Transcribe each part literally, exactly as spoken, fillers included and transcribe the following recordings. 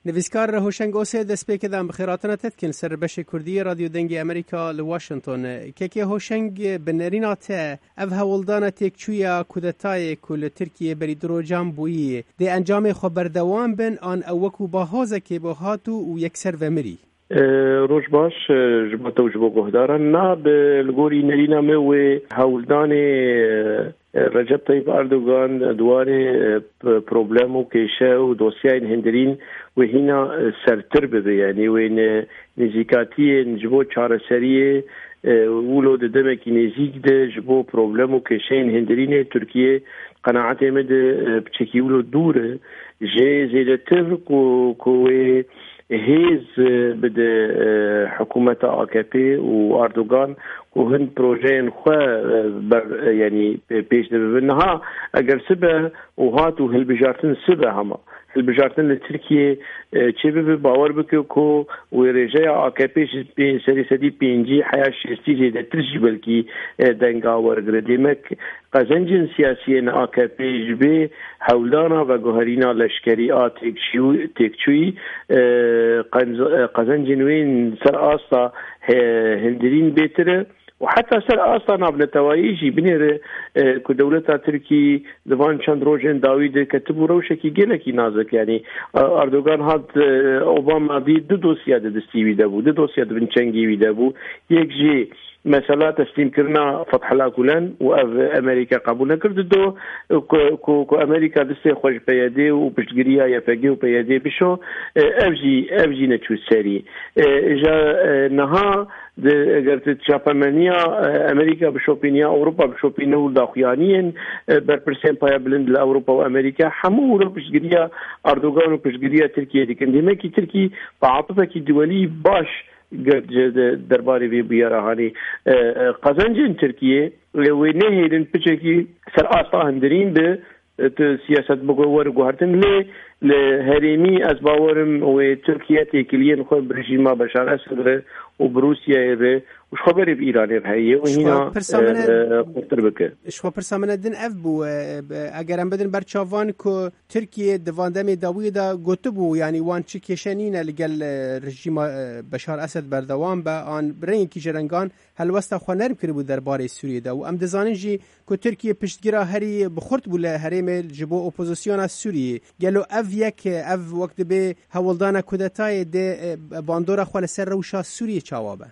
Nivîskar Hoşeng Osê, destpêkê de em bi xêratina te dikin ser beşê Kurdî Radyo Dengê Amerîka li Washington. Kekê Hoşeng, bi nerîna te ev hewldana têkçûya kudetayê ku li Tirkiyê berî du rojan bûyî, dê encamê xwe berdewam bin an ew wekû bahozekê bo hat û, û yekser vemirî? E, roj baş, e, ji bo te û ji bo guhdaran. Na, bi, li gorî nerîna me wê hewldanê, e, Recep Tayyip Erdogan di warê, e, p-, problem û kêşe û dosyayên hindirîn wê hîna, e, sertir bibe. Yanî wê ne-, nêzîkatiyên ji bo çareseriyê, e, wilo di demekî nêzîk de ji bo problem û kêşeyên hindirînê Tirkiye qenaetê me de, e, piçekî wilo dûr e. Jê zêdetir ku, ku wê hêz, e, bide, e, hikûmeta A K P û Erdogan ku hin projeyên xwe, e, ber, e, yanî pê-, pêş de bibin. Niha eger sibe û hat û hilbijartin sibe hema. Hilbijartin li Tirkiye, e, çê bibe, bawer bike ku wê rêjeya A K P ji pê-, serê sedî pêncî heya şêstî zêdetir jî belkî, e, denga wergire. Demek Qezencên siyasî yên A K P ji vê hewldana veguherîna leşkerî a têkçû-, têkçûyî, e, qenz-, e, qezencên wê yên ser asta he-, hindirîn bêtir e û heta ser asta navnetewayî jî binêre, e, ku dewleta Tirkî di van çend rojên dawî de ketibû rewşekî gelekî nazik. Yanî, e, Erdogan hat, e, Obama dî du dosya di destî wî de bû, du dosya di bin çengê wî de bû. Yek jî mesela teslîmkirina Fethullah Gulen û ev Amerîka qebûl nekir. Dido ku, ku, ku Amerîka destê xwe ji P Y D û piştgiriya Y P G û P Y D bişo, e, ev jî, ev jî neçû serî. E, ja, e, niha di, eger tu çapemeniya, e, Amerîka bişopîniya, Ewropa bişopîne û daxuyaniyên, e, berpirsên paya bilind li Ewropa û Amerîka hemû wilo piştgiriya Erdogan û piştgiriya Tirkiye dikin. Demekî Tirkî bi atifekî duwelî baş ger ji de-, derbarê vê bûyera hanî, e, e, qezencên Tirkiyê, e, wê nehêlin piçekî ser asta hindirîn bi, e, tu siyaset biguhe were guhertin. Lê li herêmî ez bawerim wê Tirkiye têkiliyên xwe bi rejîma Beşar Esed re û bi Rûsyayê re û ji xwe berê bi Îranê re heye û Ji xwe hîna, pirsa e, min e, e, xurtir bike. Ji xwe pirsa min e din ev bû, e, e, eger em bidin ber çavan ku Tirkiye di van demê dawiyê de gotibû, yanî wan çi kêşe nîne li gel, e, rejîma, e, Beşar Esed berdewam be, an bi rengekî ji rengan helwesta xwe nerm kiribû derbarê Sûriyê de. Û em dizanin jî ku Tirkiye piştgira herî bi xurt bû li herêmê ji bo opozisyona Sûriyê. Gelo ev yek, ev wek dibê hewldana kudetayê dê, e, bandora xwe li ser rewşa Sûriyê çawa be?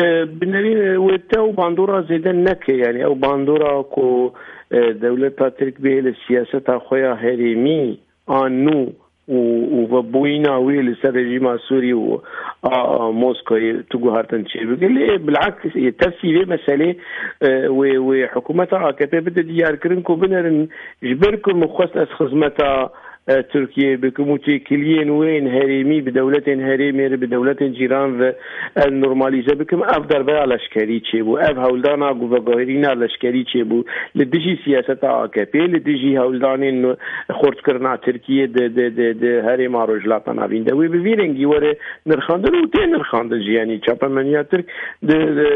E, bi nerî, e, wê te ew bandora zêde neke, yanî ew bandora ku, e, dewleta Tirk bê li siyaseta xwe ya herêmî an nû û, û vebûyîna wê li ser rejîma Sûrî û a, a Moskoyê tu guhertin çêbike. Lê bilaks, e, tersî vê meselê, e, wê, wê hikûmeta A K P bide diyarkirin ku binerin ji ber ku min xwest ez xizmeta, e, Tirkiyeyê bikim û têkiliyên wê yên herêmî bi dewletên herêmê re, bi dewletên cîran re ez normalize bikim, ev derbeya leşkerî çêbû, ev hewldana guveguherîna leşkerî çêbû li dijî siyaseta A K P, li dijî hewldanên xurtkirina Tirkiyê di, di, di, di herêma Rojhilata Navîn de. Wê bi vî rengî were nirxandin û tê nirxandin jî, yanî çapemeniya Tirk di, di,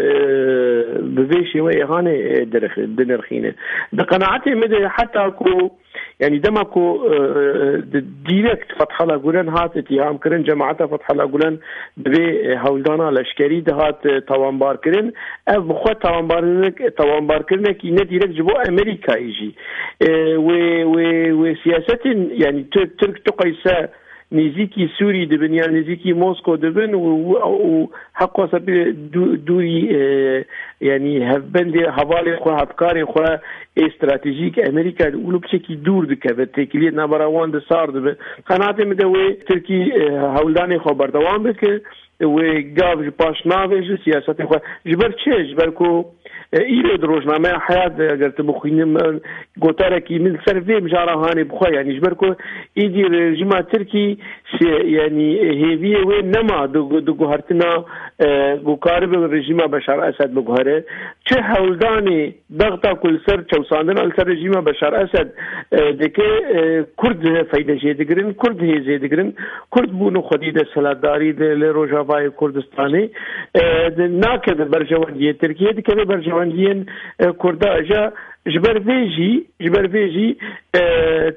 bi vê şêweyê hanê, e, dirix-, dinirxîne. Di qenaetê min de heta ku, yanî dema ku, e, e, di, direkt Fethullah Gulen hat îtîham kirin, cemaeta Fethullah Gulen bi vê, e, hewldana leşkerî dihat, e, tawanbar kirin, ev bi xwe tawanbarkirin-, tawanbarkirinekî ne direkt ji bo Amerîkayê jî. E, wê, wê, wê siyasetên, yanî tu, Tirk tu qeyse nêzîkî Sûrî dibin yan nêzîkî Mosko dibin û, û, û heqwasa pê dû-, dûrî, e, yanî hevbendê hevalê xwe, hevkarê xwe ê stratejîk Amerîka wilo piçekî dûr dikeve, têkiliyê navbera wan de sar dibe. Qenaetê min de wê Tirkî, e, hewldanê xwe berdewam bike, wê gav ji paş navêje siyasetê xwe. Ji ber çi? Ji ber ku, e, îro di rojnameya Heyat de eger tu bixwînin, e, gotarekî min ser vê mijara hanê bixwe, yanî ji ber ku îdî rejîma Tirkî si-, yanî hêviyê wê nema di, di guhertina, e, ku karibe rejîma Beşar Esed biguhere. Çi hewldanê Bexda ku li ser çewsandina li ser rejîma Beşar Esed, e, dike, e, Kurd feyde jê digirin, Kurd hêzê digirin, Kurd bûn û xwedî desthilatdarî de li Rojavayê Kurdistanê, e, de nakeve berjewendiyê Tirkiyê, dikeve berjewendiyên, e, Kurda. Îja Ji ber vê jî, ji ber vê jî, e,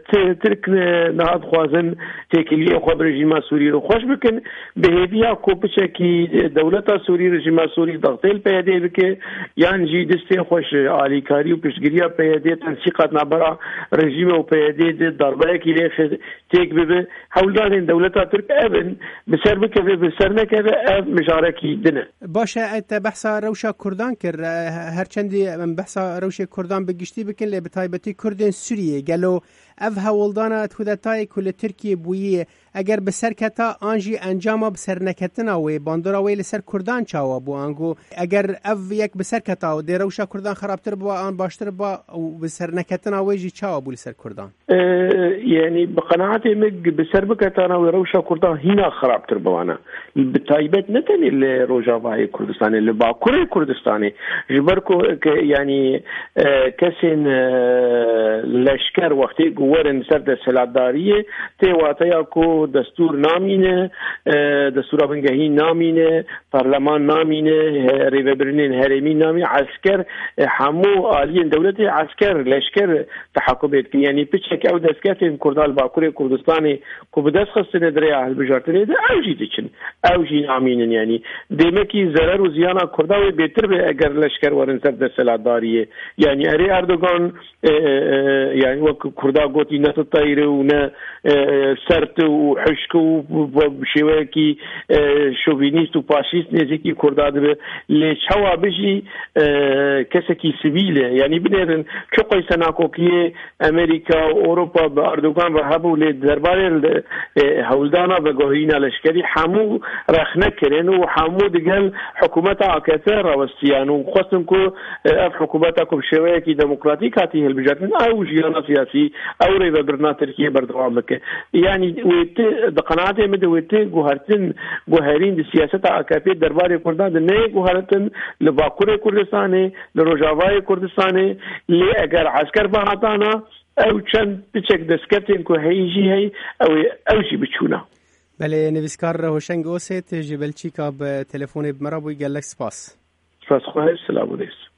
Ti-, Tirk, e, niha dixwazin têkiliyên xwe bi rejîma Sûrî re xweş bikin. Bi hêviya ku piçekî, e, dewleta Sûrî, rejîma Sûrî dextê li P Y D bike, yan jî distê xwe ji alîkarî û piştgiriya P Y D, tensîqat navbera rejîmê û P Y D de darbeyekî lê xe-, têk bibe. Hewldanên dewleta Tirk ev in, bi ser bikeve, bi ser nekeve, ev mijarekî din e. Baş e, te behsa rewşa Kurdan kir. E, her çendî em behsa rewşê Kurdan bi giştî bikin, lê bi taybetî Kurdên Sûriyê. Gelo ev hewldana kudetayê ku li Tirkiyê bûyî, eger bi ser keta an jî encama bi ser neketina wê, bandora wê li ser Kurdan çawa bû? Ango eger ev yek bi ser keta, dê rewşa Kurdan xerabtir biba an baştir biba û bi ser neketina wê jî çawa bû li ser Kurdan? E, yanî bi qenaetê min bi ser biketana wê rewşa Kurdan hîna xirabtir biwana. Bi taybet ne tenê li Rojavayê Kurdistanê, li Bakurê Kurdistanê. Ji ber ku ke, yanî, e, kesên, e, leşker wextê ku werin ser desthilatdariyê, tê wateya ku destûr namîne, e, destûra bingehîn namîne, parleman namîne, he-, rêvebirinên herêmî namîne, esker, e, hemû aliyên dewletê esker, leşker tehakumê dikin. Yanî piçek ew destkeftên Kurdan li Bakurê Kurdistanê ku bi dest xistine di rêya hilbijartinê de, ew jî diçin. Ew jî namînin, yanî demekî zerer û ziyana Kurda wê bêtir be eger leşker werin ser desthilatdariyê. Yanî erê Erdogan, e, e, e, yanî wek Kurda gotî, ne tu teyr û ne, e, e, sert û hişk û bi, bi şêweyekî, e, şovînîst û faşîst nêzîkî Kurda dibe. Lê çawa bijî, e, kesekî sivîl e. Yanî binêrin çi qeyse nakokiyê Amerîka û Ewropa bi Erdogan ve hebû, lê derbarê li, e, hewldana veguherîna leşkerî hemû rexne kirin û hemû digel hikûmeta A K P re westiyan û xwestin ku, e, ev hikûmeta ku bi şêweyekî demokratîk hatî hilbijartin, ew jiyana siyasî, ew rêvebirina Tirkiyê berdewam bike. Yanî wê ti, di qenaetê min de wê ti guhertin, guherîn di siyaseta A K P derbarê Kurdan de neyê guhertin li Bakurê Kurdistanê, li Rojavayê Kurdistanê, lê eger esker vehatana, ew çend piçek destkeftên ku heyî jî heyî, ew ê, ew jî biçûna. Belê, nivîskar Hoşeng Osêt ji Belçîka bi telefonê bi me re bûyî, gelek spas. Spas xwe, silav û rêz.